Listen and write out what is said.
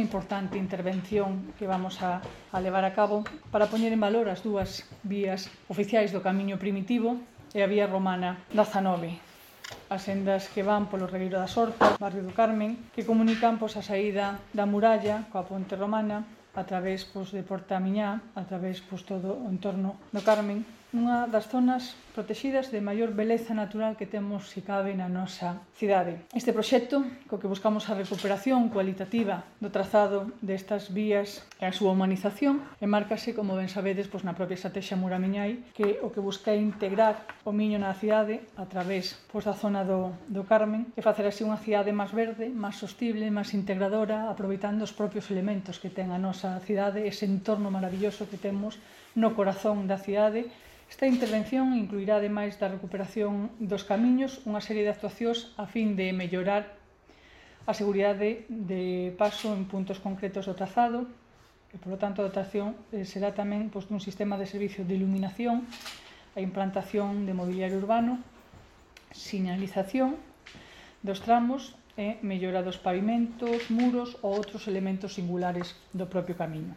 unha importante intervención que vamos a levar a cabo para poñer en valor as dúas vías oficiais do camiño primitivo e a vía romana 19. As sendas que van polo Regueiro das Hortas, barrio do Carmen, que comunican a saída da muralla coa ponte romana a través de Porta Miñá, a través todo o entorno do Carmen, unha das zonas protegidas de maior beleza natural que temos, se cabe, na nosa cidade. Este proxecto, co que buscamos a recuperación cualitativa do trazado destas vías e a súa humanización, enmárcase, como ben sabedes, na propia estrategia Muramiñai, que o que busca é integrar o Miño na cidade a través da zona do Carmen e facer así unha cidade máis verde, máis sostible, máis integradora, aproveitando os propios elementos que ten a nosa cidade, ese entorno maravilloso que temos no corazón da cidade. Esta intervención incluirá, ademais da recuperación dos camiños, unha serie de actuacións a fin de mellorar a seguridade de paso en puntos concretos do trazado e, polo tanto, a dotación será tamén dun sistema de servicio de iluminación, a implantación de mobiliario urbano, sinalización dos tramos e mellora dos pavimentos, muros ou outros elementos singulares do propio camiño.